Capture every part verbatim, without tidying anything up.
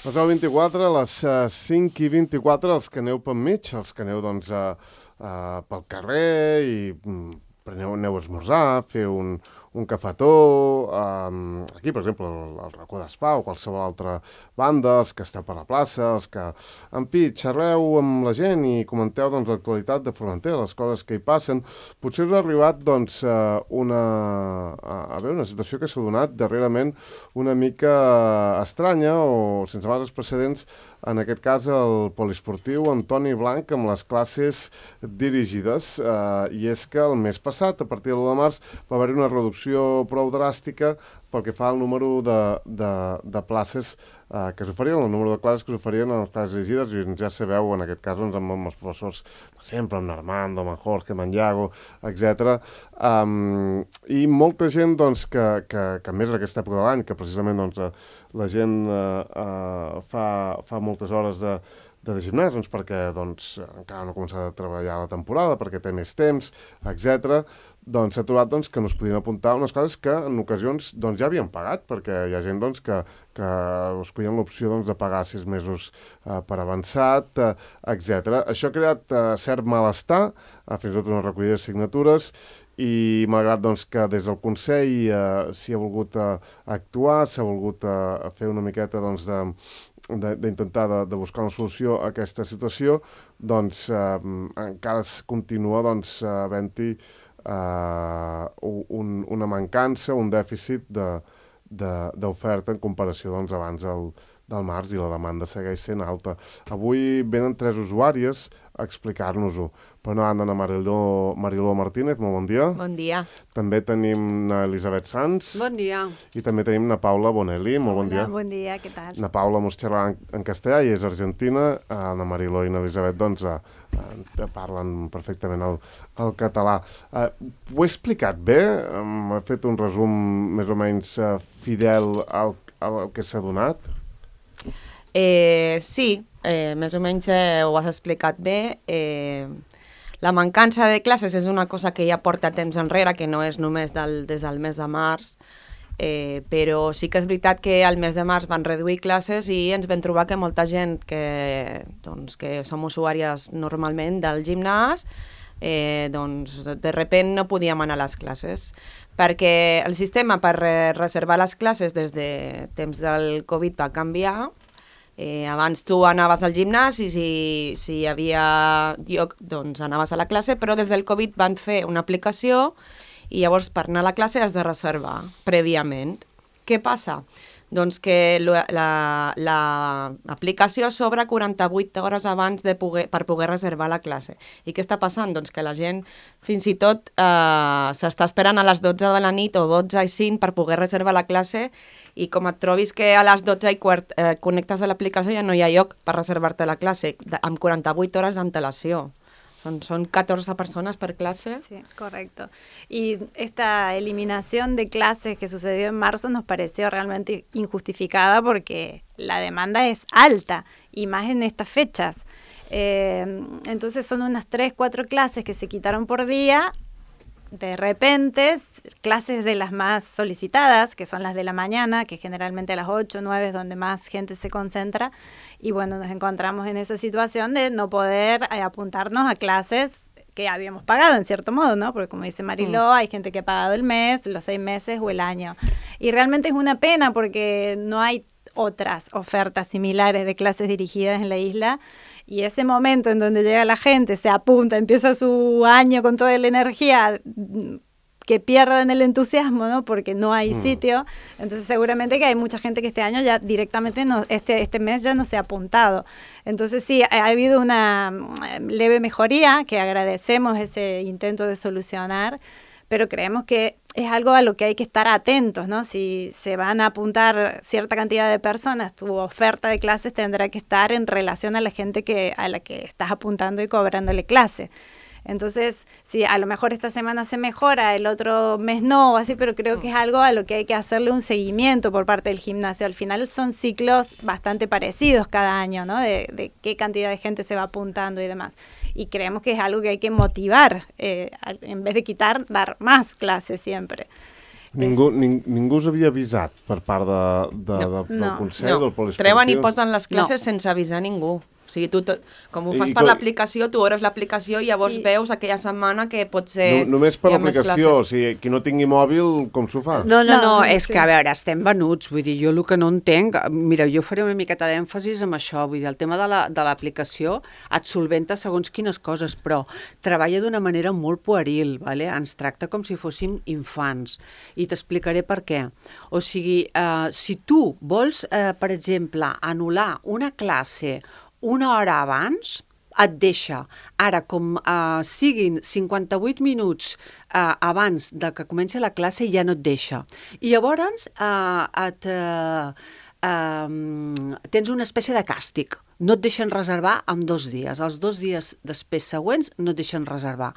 Les deu vint-i-quatre, a les uh, cinc i vint-i-quatre, els que aneu pel mig, els que aneu doncs, uh, uh, pel carrer i um, preneu, aneu a esmorzar, feu un, un cafetó, um, aquí, per exemple, el, el racó d'Espà o qualsevol altra banda, els que esteu per la plaça, els que, en fi, xerreu amb la gent i comenteu doncs, l'actualitat de Formentera, les coses que hi passen. Potser us ha arribat doncs, uh, una, a, a veure, una situació que s'ha donat darrerament una mica estranya o sense males precedents, en aquest cas el poliesportiu Antoni Blanc amb les classes dirigides, eh, i és que el mes passat, a partir de l'u de març, va haver-hi una reducció prou dràstica pel que fa al número de, de, de places eh, que s'oferien, el número de classes que s'oferien en les classes dirigides, i ja sabeu, en aquest cas, doncs, amb, amb els professors sempre, amb Armando, amb Jorge, amb Iago, etcètera. Um, I molta gent, doncs, que, que, que més en aquesta època de l'any, que precisament, doncs, la gent eh, eh, fa, fa moltes hores de, de gimnàs, doncs, perquè doncs, encara no ha començat a treballar la temporada, perquè té més temps, etcètera, doncs s'ha trobat doncs, que no es podien apuntar unes coses que en ocasions doncs, ja havien pagat, perquè hi ha gent doncs, que, que escollien l'opció doncs, de pagar sis mesos eh, per avançat, eh, etcètera. Això ha creat eh, cert malestar, eh, fins i tot una recollida de signatures, i malgrat doncs, que des del Consell eh, s'hi ha volgut eh, actuar, s'ha volgut eh, fer una miqueta doncs, de d'intentar de, de buscar una solució a aquesta situació, doncs eh, encara es continua doncs, havent-hi Uh, un, una mancança, un dèficit d'oferta en comparació doncs, abans del, del març, i la demanda segueix sent alta. Avui venen tres usuàries a explicar-nos-ho. Per una banda, Mariló, Mariló Martínez, molt bon dia. Bon dia. També tenim na Elisabet Sanz. Bon dia. I també tenim na Paula Bonelli, molt bon dia. Bon dia, què tal? Na Paula mos xerrarà en, en castellà i és argentina. Uh, na Mariló i na Elisabet, doncs, uh, uh, parlen perfectament el, el català. Uh, ho he explicat bé? Um, he fet un resum més o menys uh, fidel al, al que s'ha donat? Eh, sí, eh, més o menys eh, ho has explicat bé. Eh, la mancança de classes és una cosa que ja porta temps enrere, que no és només del, des del mes de març, eh, però sí que és veritat que al mes de març van reduir classes i ens vam trobar que molta gent que, doncs, que som usuàries normalment del gimnàs, eh, doncs de repent no podíem anar a les classes, perquè el sistema per reservar les classes des de temps del Covid va canviar. Eh, abans tu anaves al gimnàs i si, si hi havia lloc, doncs anaves a la classe, però des del Covid van fer una aplicació i llavors per anar a la classe has de reservar prèviament. Què passa? Doncs que l'aplicació la, la s'obre quaranta-vuit hores abans de poder, per poder reservar la classe. I què està passant? Doncs que la gent fins i tot eh, s'està esperant a les dotze de la nit o dotze i cinc per poder reservar la classe, i com et trobis que a les dotze i quart eh, connectes a l'aplicació ja no hi ha lloc per reservar-te la classe, amb quaranta-vuit hores d'antelació. Son, son catorze personas per clase. Sí, correcto. Y esta eliminación de clases que sucedió en marzo nos pareció realmente injustificada porque la demanda es alta, y más en estas fechas. Eh, entonces son unas tres, cuatro clases que se quitaron por día. De repente, clases de las más solicitadas, que son las de la mañana, que generalmente a las ocho, nueve es donde más gente se concentra, y bueno, nos encontramos en esa situación de no poder eh, apuntarnos a clases que habíamos pagado en cierto modo, ¿no? Porque como dice Mariló, mm. hay gente que ha pagado el mes, los seis meses o el año, y realmente es una pena porque no hay otras ofertas similares de clases dirigidas en la isla. Y ese momento en donde llega la gente, se apunta, empieza su año con toda la energía, que pierden el entusiasmo, ¿no? Porque no hay mm. sitio. Entonces seguramente que hay mucha gente que este año ya directamente, no, este, este mes ya no se ha apuntado. Entonces sí, ha, ha habido una leve mejoría, que agradecemos ese intento de solucionar, pero creemos que es algo a lo que hay que estar atentos, ¿no? Si se van a apuntar cierta cantidad de personas, tu oferta de clases tendrá que estar en relación a la gente que, a la que estás apuntando y cobrándole clase. Entonces, sí, a lo mejor esta semana se mejora, el otro mes no, o así, pero creo que es algo a lo que hay que hacerle un seguimiento por parte del gimnasio. Al final son ciclos bastante parecidos cada año, ¿no? De, de qué cantidad de gente se va apuntando y demás. Y creemos que es algo que hay que motivar, eh, en vez de quitar, dar más clases siempre. Ningú, ning, ningú us havia avisat per part de, de, de, del No. Consell, No, del poliesportiu? treuen i posen les classes No. sense avisar ningú. O sigui, tu, tot, com ho I- fas i per co- l'aplicació, tu obres l'aplicació i llavors I- veus aquella setmana que pot ser... No, només per hi ha més l'aplicació, o classes. sigui, qui no tingui mòbil, com s'ho fa? No, no, no, No, és sí. que, a veure, estem venuts, vull dir, jo el que no entenc, mira, jo faré una miqueta d'èmfasis amb això, vull dir, el tema de la- de l'aplicació et solventa segons quines coses, però treballa d'una manera molt pueril, vale? Ens tracta com si fóssim infants, i t'explicaré per què. O sigui, eh, si tu vols, eh, per exemple, anul·lar una classe una hora abans, et deixa. Ara, com eh, siguin cinquanta-vuit minuts eh, abans de que comenci la classe, ja no et deixa. I llavors eh, et, eh, eh, tens una espècie de càstig. No et deixen reservar en dos dies. Els dos dies després següents no et deixen reservar.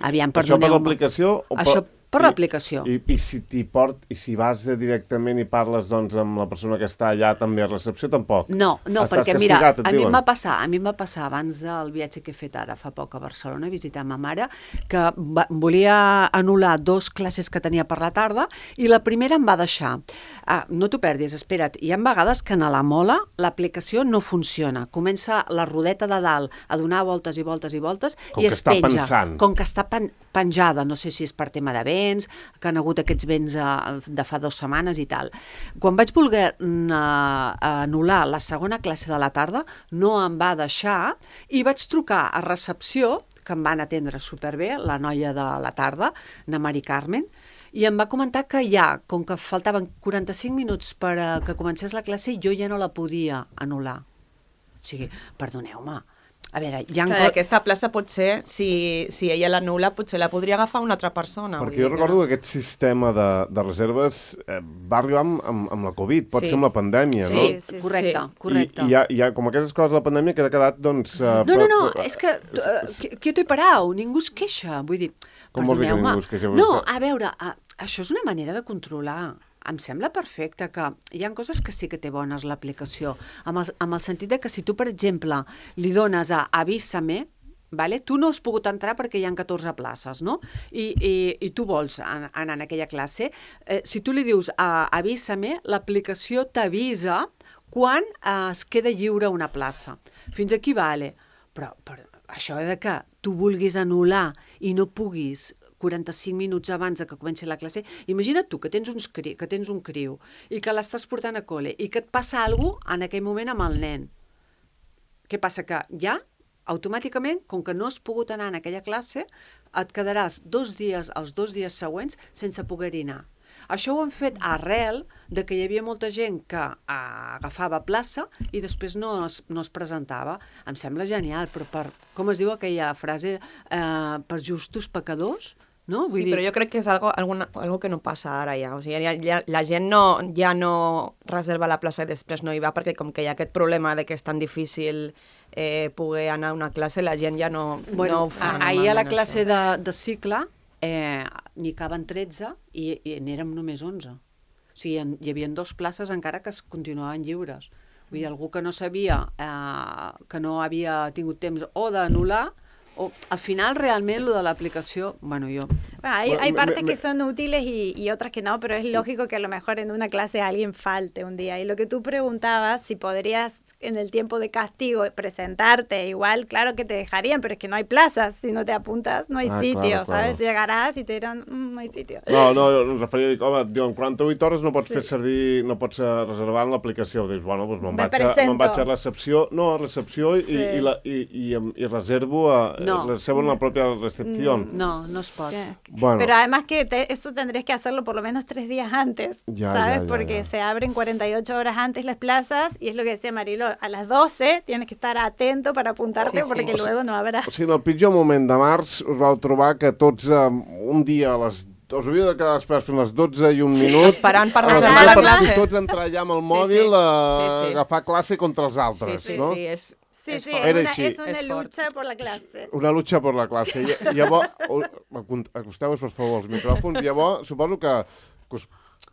Aviam, Això per perdoneu-me. l'aplicació? o Això per i- l'aplicació. I, i, si t'hi port, I si vas eh, directament i parles doncs, amb la persona que està allà també a recepció, tampoc? No, no, Estàs perquè mira, castigat, et a mi em diuen? va passar, a mi em va passar abans del viatge que he fet ara fa poc a Barcelona a visitar ma mare, que va, volia anul·lar dos classes que tenia per la tarda i la primera em va deixar. Ah, no t'ho perdis, espera't, hi ha vegades que a la mola l'aplicació no funciona. Comença la rodeta de dalt a donar voltes i voltes i voltes Com i que es està penja. pensant. Com que està pen penjada, no sé si és per tema de vents, que han hagut aquests vents eh, de fa dues setmanes i tal. Quan vaig voler mm, eh, anul·lar la segona classe de la tarda, no em va deixar i vaig trucar a recepció, que em van atendre superbé, la noia de la tarda, na Mari Carmen, i em va comentar que ja, com que faltaven quaranta-cinc minuts per a que comencés la classe, jo ja no la podia anul·lar. O sigui, perdoneu-me, a veure, hi ha... Que aquesta plaça potser, si, si ella l'anul·la, potser la podria agafar una altra persona. vull Perquè jo dir que recordo no. que aquest sistema de, de reserves eh, va arribar amb, amb, amb la Covid, pot Sí. ser amb la pandèmia, Sí, no? Sí, sí, correcte, sí. correcte. I, i, hi ha, hi ha, com aquestes coses de la pandèmia que ha quedat, doncs... Eh, No, no, no, per- és que uh, qui t'ho he parau, ningú es queixa, vull dir, Com vol dir que perdoneu-me. ningú es queixa? No, a veure, uh, això és una manera de controlar. Em sembla perfecte que hi ha coses que sí que té bones l'aplicació, amb, el, amb el sentit de que si tu, per exemple, li dones a Avísame, vale? Tu no has pogut entrar perquè hi ha catorze places, no? I, i, i tu vols an anar en aquella classe, eh, si tu li dius a Avísame, l'aplicació t'avisa quan eh, es queda lliure una plaça. Fins aquí vale. Però, però això de que tu vulguis anul·lar i no puguis quaranta-cinc minuts abans de que comenci la classe, imagina't tu que tens, uns cri que tens un criu i que l'estàs portant a col·le i que et passa alguna cosa en aquell moment amb el nen. Què passa? Que ja, automàticament, com que no has pogut anar en aquella classe, et quedaràs dos dies, els dos dies següents, sense poder-hi anar. Això ho han fet arrel de que hi havia molta gent que ah, agafava plaça i després no es, no es presentava. Em sembla genial, però per, com es diu aquella frase, eh, per justos pecadors, no? Vull Sí, dir, però jo crec que és algo, alguna, algo que no passa ara ja. O sigui, ja, ja, la gent no, ja no reserva la plaça i després no hi va perquè com que hi ha aquest problema de que és tan difícil eh, poder anar a una classe, la gent ja no, bueno, no ho fa. a- ahir a la normalment, classe això. de, de cicle eh, n'hi caben tretze i, i n'érem només onze. O sigui, en, hi havia dues places encara que es continuaven lliures. Vull dir, algú que no sabia, eh, que no havia tingut temps o d'anul·lar, o al final realment lo de l'aplicació, bueno, yo... Bueno, hay, Bueno, hay me- partes me- que son útiles y, y otras que no, pero es lógico que a lo mejor en una clase alguien falte un día. Y lo que tú preguntabas, si podrías en el tiempo de castigo presentarte, igual, claro que te dejarían, pero es que no hay plazas, si no te apuntas, no hay Ah, sitio, claro, ¿sabes? claro. Llegarás y te dirán, "Mm, no hay sitio. No, no, em referia a dir, home, diuen quaranta-vuit hores no pots Sí. fer servir, no pots eh, reservar en l'aplicació. Dius, bueno, doncs me'n Me vaig, a- me'n presento. vaig a recepció, no, a recepció i, Sí. i, la, i, i, em- i reservo, a, No. reservo en la pròpia recepció. No, no es pot. Que- Bueno. Pero además que te- eso tendrías que hacerlo por lo menos tres días antes, Ya, ¿sabes? ya, ya, Porque ya. se abren cuarenta y ocho horas antes las plazas y es lo que decía Marilo, a las doce tienes que estar atento para apuntarte Sí, sí. porque O luego no habrá... O sigui, en el pitjor moment de març us vau trobar que tots eh, un dia a les us havíeu de quedar després fins a les dotze i un minut Esperant per a les reservar dotze la per classe. tots entrar allà amb el Sí, mòbil sí. a Sí, sí. agafar classe contra els altres, Sí, sí, no? sí, és, Sí, és sí, fort. es Era una, així. es una Es fort. lucha por la clase. Una lucha per la classe. I, llavors, acosteu-vos, per favor, als micròfons. Llavors, suposo que, que, us,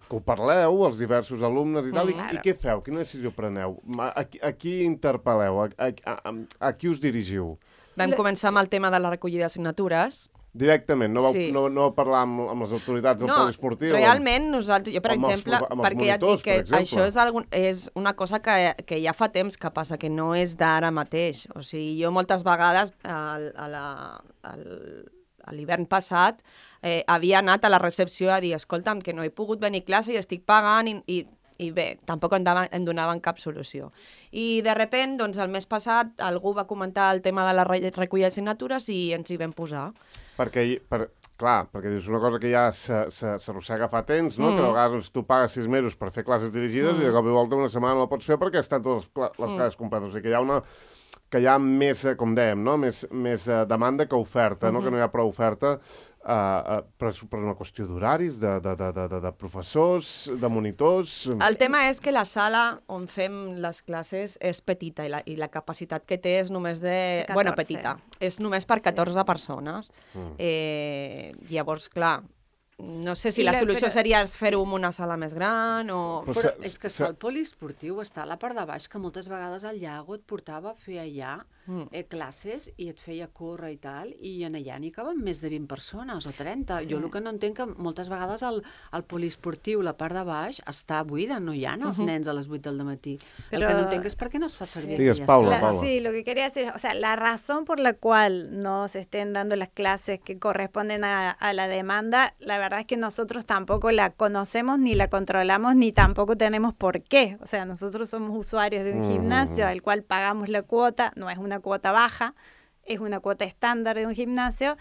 que ho parleu, els diversos alumnes i tal, i, i què feu? Quina decisió preneu? A, a, a qui interpel·leu? A, a, a, a qui us dirigiu? Vam començar amb el tema de la recollida de signatures Directament, no vau, Sí. no, no vau parlar amb, amb les autoritats del No, poliesportiu? realment nosaltres, jo per amb els exemple, profe- amb els perquè ja et dic monitors, que per exemple. això és, algun, és una cosa que, que ja fa temps que passa, que no és d'ara mateix. O sigui, jo moltes vegades al, a la, al, a l'hivern passat eh, havia anat a la recepció a dir, escolta'm, que no he pogut venir a classe i estic pagant i, i i bé, tampoc em, daven, em donaven cap solució. I de sobte, doncs, el mes passat, algú va comentar el tema de la re recollida de signatures i ens hi vam posar. Perquè, per, clar, perquè és una cosa que ja s'arrossega fa temps, no? Mm. Que a vegades doncs, tu pagues sis mesos per fer classes dirigides Mm. i de cop i volta una setmana no la pots fer perquè estan totes les, les Mm. classes completes. O sigui que hi ha una que hi ha més, eh, com dèiem, no? més, més eh, demanda que oferta, no? Mhm. Que no hi ha prou oferta, eh, eh, per, per una qüestió d'horaris, de, de, de, de, de, de professors, de monitors... El tema és que la sala on fem les classes és petita i la, i la capacitat que té és només de... catorze. Bueno, petita. És només per catorze persones. Mm. Eh, llavors, clar, no sé si I la la- solució però- seria fer-ho en una sala més gran o... Però Però se- és que se- està el poliesportiu, està a la part de baix, que moltes vegades el Llago et portava a fer allà Mm. eh, classes i et feia córrer i tal, i en allà n'hi caben més de vint persones o trenta. Sí. Jo el que no entenc que moltes vegades el, el poliesportiu, la part de baix, està buida, no hi ha els Mhm. nens a les vuit del matí. El Però- que no entenc és per què no es fa servir Digues, aquella Paula, sala. La- Paula. sí, lo que quería decir, o sea, la razón por la cual no se estén dando las clases que corresponden a, a la demanda, la verdad es que nosotros tampoco la conocemos, ni la controlamos, ni tampoco tenemos por qué. O sea, nosotros somos usuarios de un Mm. gimnasio al cual pagamos la cuota, no es una cuota baja, es una cuota estándar de un gimnasio,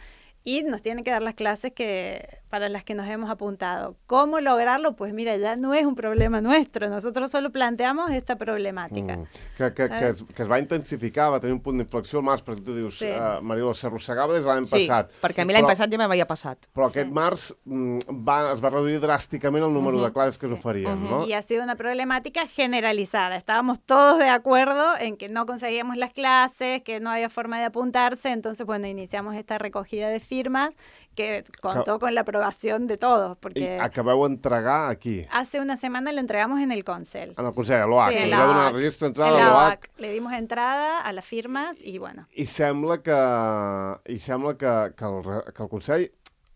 y nos tienen que dar las clases que para las que nos hemos apuntado. ¿Cómo lograrlo? Pues mira, ya no es un problema nuestro, nosotros solo planteamos esta problemàtica. Mm. Que, que, que, es, que es va intensificar, va tenir un punt d'inflexió al març, perquè tu dius, Sí. uh, Marió, s'arrossegava des de l'any Sí, passat. perquè a mi l'any Però- passat ja m'havia passat. Però aquest març mm, va, es va reduir dràsticament el número Mhm. de classes que Sí. s'oferien, Mhm. no? Y ha sido una problemática generalizada. Estábamos todos de acuerdo en que no conseguíamos las clases, que no había forma de apuntarse, entonces, bueno, iniciamos esta recogida de firmas que contó con la aprobación de todos, I porque acabeu entregar aquí, hace una semana la entregamos en el Consell. en el Consell, a l'O H. Sí, Sí, en va la donar O A el C. registre En d'entrada a la l'O O A H. C. Le dimos entrada a las firmas y bueno. I sembla que, i sembla que, que, el, re- que el Consell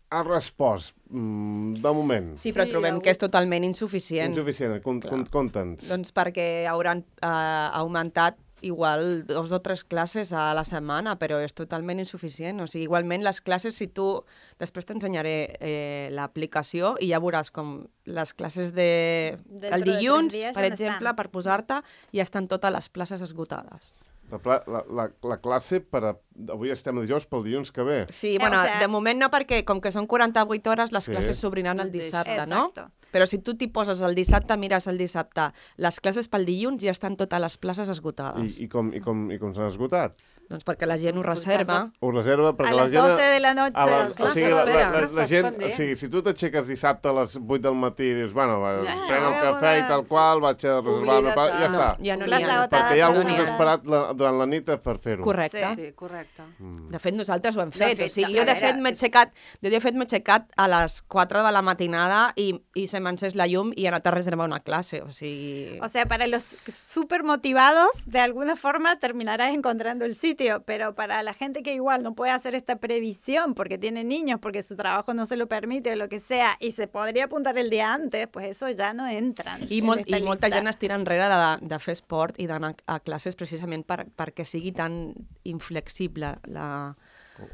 ha respost, mm, de moment. Sí, però Sí, trobem hi ha que és totalment insuficient. Insuficient, con, con, conta'ns. Doncs perquè hauran eh, augmentat igual dos o tres classes a la setmana, però és totalment insuficient. O sigui, igualment les classes, si tu... Després t'ensenyaré eh, l'aplicació i ja veuràs com les classes de... Dentro el de tres dilluns, dies per ja no exemple, estan. per posar-te, ja estan totes les places esgotades. La, pla- la, la, la classe, per a, avui estem a dijous, pel dilluns que ve. Sí, Eh, bueno, o sea- de moment no, perquè com que són quaranta-vuit hores, les Sí. classes s'obriran el Mateix. dissabte, no? Exacto. Però si tu t'hi poses el dissabte, mires el dissabte, les classes pel dilluns ja estan totes les places esgotades. I, i com, i com, i com s'han esgotat? Doncs perquè la gent ho Pues reserva. Ho reserva perquè A la las gent... doce de la noche. A la, Clar, o sigui, la, la, s'espera. la, la Estàs gent, o pendent. sigui, si tu t'aixeques dissabte a les vuit del matí i dius, bueno, va, Ja, prenc el ja, cafè i ja. tal qual, vaig a reservar una Oblida't, part, ja no, està. Ja no n'hi Plaça ha. agotada, Perquè hi ha per algú que no s'ha n'hi ha. esperat la, durant la nit per fer-ho. Correcte. Sí, correcte. Mm. De fet, nosaltres ho hem De fet. fet, O sigui, a jo, de veure, fet, m'he és- aixecat, jo, de fet, m'he aixecat a les quatre de la matinada i, i se m'ha encès la llum i he anat a reservar una classe. O sigui... O sea, para los súper motivados, de alguna forma terminarás encontrando el sitio, pero para la gente que igual no puede hacer esta previsión porque tiene niños, porque su trabajo no se lo permite o lo que sea, y se podría apuntar el día antes, pues eso ya no entran. I, en molt, esta I molta lista. gent es tira enrere de, de fer esport i d'anar a classes precisament per, perquè sigui tan inflexible la...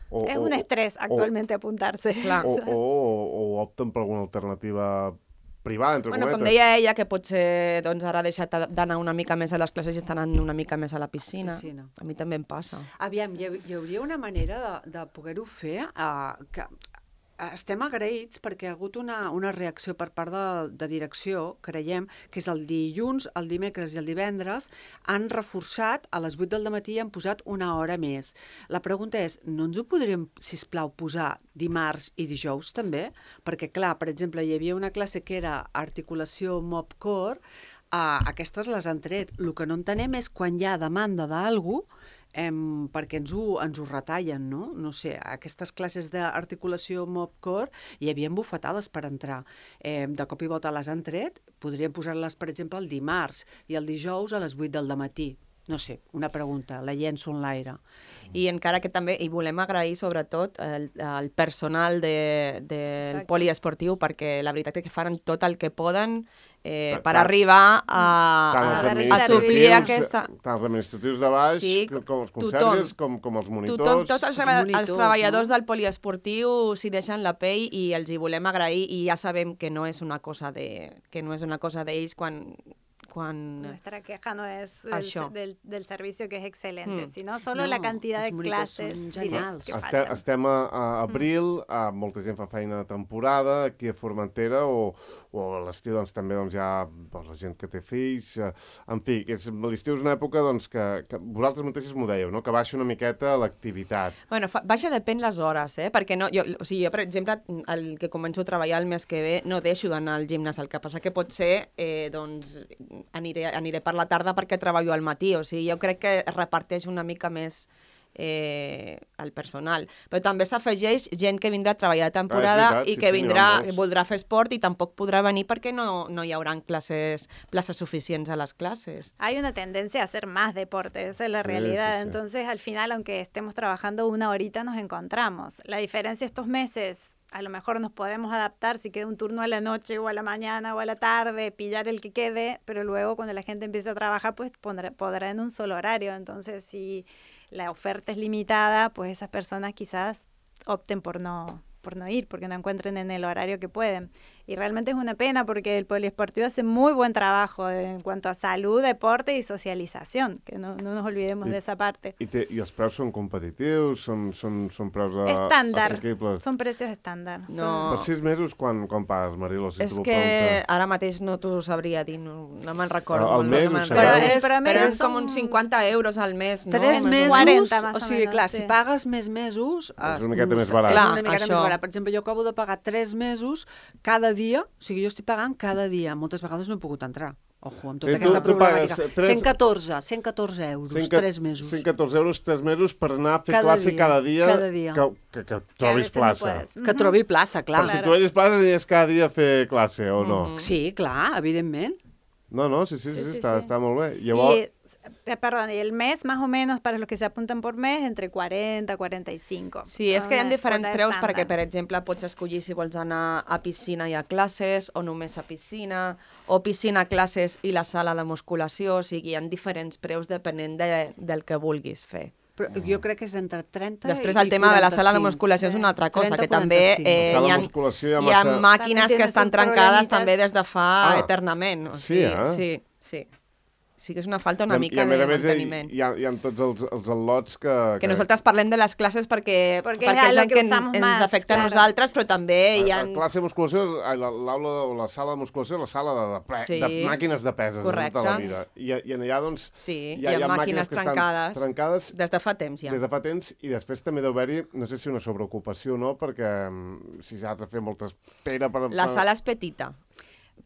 O, Es un estrés actualmente apuntarse. Clar. O, o, o, o opten per alguna alternativa privada, entre Bueno, com cometes. deia ella, que potser doncs, ara ha deixat d'anar una mica més a les classes i està anant una mica més a la piscina. Piscina. A mi també em passa. Aviam, hi, ha- hi hauria una manera de, de poder-ho fer uh, que estem agraïts perquè ha hagut una, una reacció per part de, de direcció, creiem, que és el dilluns, el dimecres i el divendres, han reforçat a les vuit del matí i han posat una hora més. La pregunta és, no ens ho podríem, sisplau, posar dimarts i dijous també? Perquè, clar, per exemple, hi havia una classe que era articulació mob-core, uh, aquestes les han tret. El que no entenem és quan hi ha demanda d'algú, Em, perquè ens ho, ens ho retallen, no? No sé, aquestes classes d'articulació mob-core hi havien bufetades per entrar. Eh, de cop i volta les han tret, podríem posar-les, per exemple, el dimarts i el dijous a les vuit del matí. No sé, una pregunta, la llenço en l'aire. I encara que també, i volem agrair sobretot el, el personal de, del Exacte. poliesportiu, perquè la veritat és que fan tot el que poden eh, Tant- per arribar a, Tant a, els a a suplir administratius, aquesta... tant els administratius de baix, Sí, com els tothom. conserges, com, com els monitors. Tothom, tots els, Els els, monitors, els treballadors no? del poliesportiu s'hi deixen la pell i els hi volem agrair i ja sabem que no és una cosa de que no és una cosa d'ells quan, quan... Nuestra queja no es Això. del, del, del servicio, que es excelente, Mm. sino solo No, la cantidad els de monitors clases són direct genials. que Estem, faltan. estem a, a abril, a, molta gent fa feina de temporada aquí a Formentera o, o a l'estiu doncs, també doncs, hi ha doncs, la gent que té fills. Eh, en fi, que és, l'estiu és una època doncs, que, que vosaltres mateixos m'ho dèieu, no? Que baixa una miqueta l'activitat. Bueno, fa, baixa depèn les hores, eh? Perquè no, jo, o sigui, jo, per exemple, el que començo a treballar el mes que ve no deixo d'anar al gimnàs. El que passa que potser eh, doncs, aniré, aniré per la tarda perquè treballo al matí. O sigui, jo crec que es reparteix una mica més eh, el personal. Però també s'afegeix gent que vindrà a treballar de temporada Ah, és veritat, i sí, que sí, n'hi vindrà, ha molts. voldrà fer esport i tampoc podrà venir perquè no, no hi haurà classes, places suficients a les classes. Hay una tendencia a hacer más deporte, esa es la Sí, realidad. sí, sí. Entonces, al final, aunque estemos trabajando una horita, nos encontramos. La diferencia estos meses, a lo mejor nos podemos adaptar si queda un turno a la noche o a la mañana o a la tarde, pillar el que quede, pero luego cuando la gente empiece a trabajar, pues pondrá, podrá en un solo horario. Entonces, si la oferta es limitada, pues esas personas quizás opten por no, por no ir, porque no encuentren en el horario que pueden. Y realmente es una pena porque el poliesportivo hace muy buen trabajo en cuanto a salud, deporte y socialización, que no, no nos olvidemos I- de esa parte. I, té, I els preus són competitius? Són, són, són preus eh, Estándar, assequibles? son precios estándar. No. Per sis mesos, quan, quan pagues, Marilo? Si És t'ho que pregunta? ara mateix no t'ho sabria dir, no, no me'n recordo. Al molt, mes, no ho me'n sabeu? recordo. Però és- Però, però és són- com uns cinquanta euros al mes, no? Tres Més o menys. mesos, quaranta, más o o sigui, menos, clar, sí. si pagues més mesos... És una miqueta més barat. És Clar, una miqueta més això. barat. Per exemple, jo acabo de pagar tres mesos cada dia, o sigui, jo estic pagant cada dia. Moltes vegades no he pogut entrar. Ojo, amb tota Eh, tu- aquesta tu pagues problemàtica. tres- cent catorze, cent catorze euros, cent tres mesos. cent catorze euros, tres mesos per anar a fer Cada classe dia, cada dia, cada dia. Que, que, que Que a trobis veces no plaça. puedes. Que trobi plaça, clar. Però si trobis plaça aniries cada dia a fer classe, o Mm. no? Sí, clar, evidentment. No, no, sí, sí, sí, Sí, sí, està, sí. està molt bé. Llavors, Y, eh, perdón, y el mes más o menos para los que se apuntan por mes entre cuarenta, cuarenta y cinco. Sí, és Son que hi ha una diferents quota preus estándar. perquè, per exemple, pots escollir si vols anar a piscina i a classes o només a piscina, o piscina a classes i la sala de musculació, o sigui, hi ha diferents preus depenent de, del que vulguis fer. Però jo crec que és entre trenta Després i el tema de la sala de quaranta-cinc. musculació és una altra cosa, trenta, que també quaranta-cinc. eh, La sala hi, ha, de musculació hi ha hi ha massa- màquines També que tiene estan sus trencades problemitas. també des de fa Ah. eternament. O Sí, sigui, eh? sí, sí. Sí que és una falta una i, a- mica i a més de a més hi, manteniment. hi, ha, hi ha tots els, els al·lots que... Que nosaltres parlem de les classes perquè, Perquè perquè és és lo el que que en- usamos ens más, afecta claro. a nosaltres, però també hi La, ha... la classe de musculació, ai, la- l'aula o la sala de musculació, la sala de, de, pre, Sí. de màquines de peses de Correcte. tota la vida. I, I en allà, doncs, Sí, hi ha, hi ha, hi ha màquines que estan trencades, trencades des de fa temps ja. des de fa temps, i després també deu haver-hi, no sé si una sobreocupació o no, perquè mm, si s'ha de fer molta espera per... La per... sala és petita,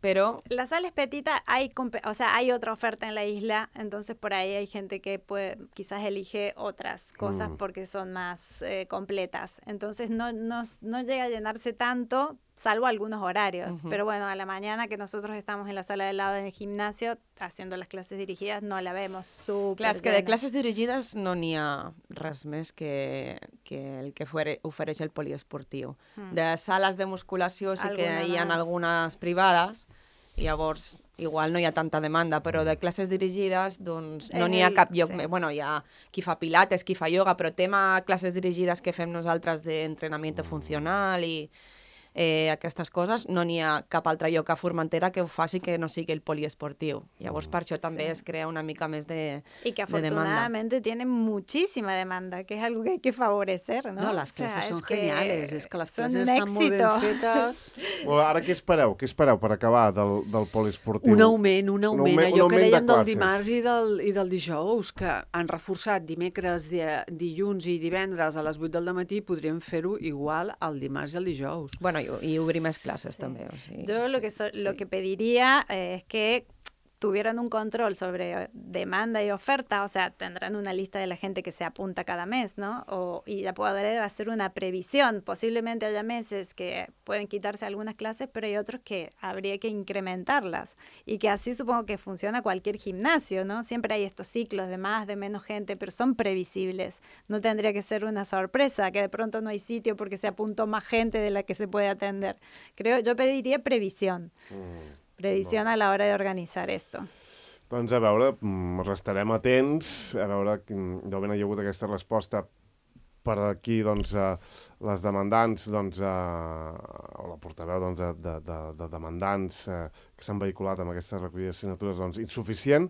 però La sala es petita, hay, compe- o sea, hay otra oferta en la isla, entonces por ahí hay gente que puede, quizás elige otras cosas Mm. porque son más eh, completas. Entonces no, no, no llega a llenarse tanto, salvo algunos horarios. Ujú. Pero bueno, a la mañana que nosotros estamos en la sala de al lado en el gimnasio haciendo las clases dirigidas, no la vemos súper clar, és que de llena. classes dirigides no n'hi ha res més que, que el que fuere, ofereix el poliesportiu. Mm. De sales de musculació sí que Alguna hi ha más. algunes privades, i llavors igual no hi ha tanta demanda, però de classes dirigides doncs no És n'hi ha el- cap lloc. sí. Bueno, hi ha qui fa pilates, qui fa ioga, però tema classes dirigides que fem nosaltres d'entrenament funcional i eh, aquestes coses, no n'hi ha cap altre lloc a Formentera que ho faci que no sigui el poliesportiu. Llavors per això també Sí. es crea una mica més de, Y que de demanda. afortunadamente tiene muchísima demanda, que es algo que hay que favorecer, ¿no? No, les O sea, classes es són que geniales, és que les son classes un estan molt ben éxito. fetes. Bueno, ara què espereu? Què espereu per acabar del, del poliesportiu? Un augment, un augment. augment- un Allò que augment de dèiem del classes. dimarts i del, i del dijous, que han reforçat dimecres, di, dilluns i divendres a les vuit del matí, podríem fer-ho igual el dimarts i el dijous. Bueno, i, i obrir més classes també. O sigui, Yo lo que, so- lo sí. que pediría eh, es que tuvieran un control sobre demanda y oferta, o sea, tendrán una lista de la gente que se apunta cada mes, ¿no? O, y ya poder hacer una previsión. Posiblemente haya meses que pueden quitarse algunas clases, pero hay otros que habría que incrementarlas. Y que así supongo que funciona cualquier gimnasio, ¿no? Siempre hay estos ciclos de más, de menos gente, pero son previsibles. No tendría que ser una sorpresa que de pronto no hay sitio porque se apuntó más gente de la que se puede atender. Creo, yo pediría previsión. Mm. Previsió a la hora d'organitzar esto. Doncs a veure, restarem atents, a veure, d'on hi ha hagut aquesta resposta per aquí, doncs, eh, les demandants, doncs, eh, o la portaveu doncs, de, de, de, de demandants eh, que s'han vehiculat amb aquesta recollida de signatures, doncs, insuficient,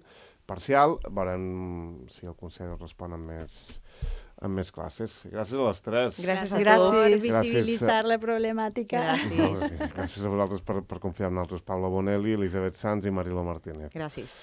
parcial, veurem si el Consell respon amb més, amb més classes. Gràcies a les tres. Gràcies a tu per visibilitzar la problemàtica. Gràcies. Gràcies a vosaltres per, per confiar en nosaltres, Paula Bonelli, Elisabet Sanz i Marilo Martínez. Gràcies.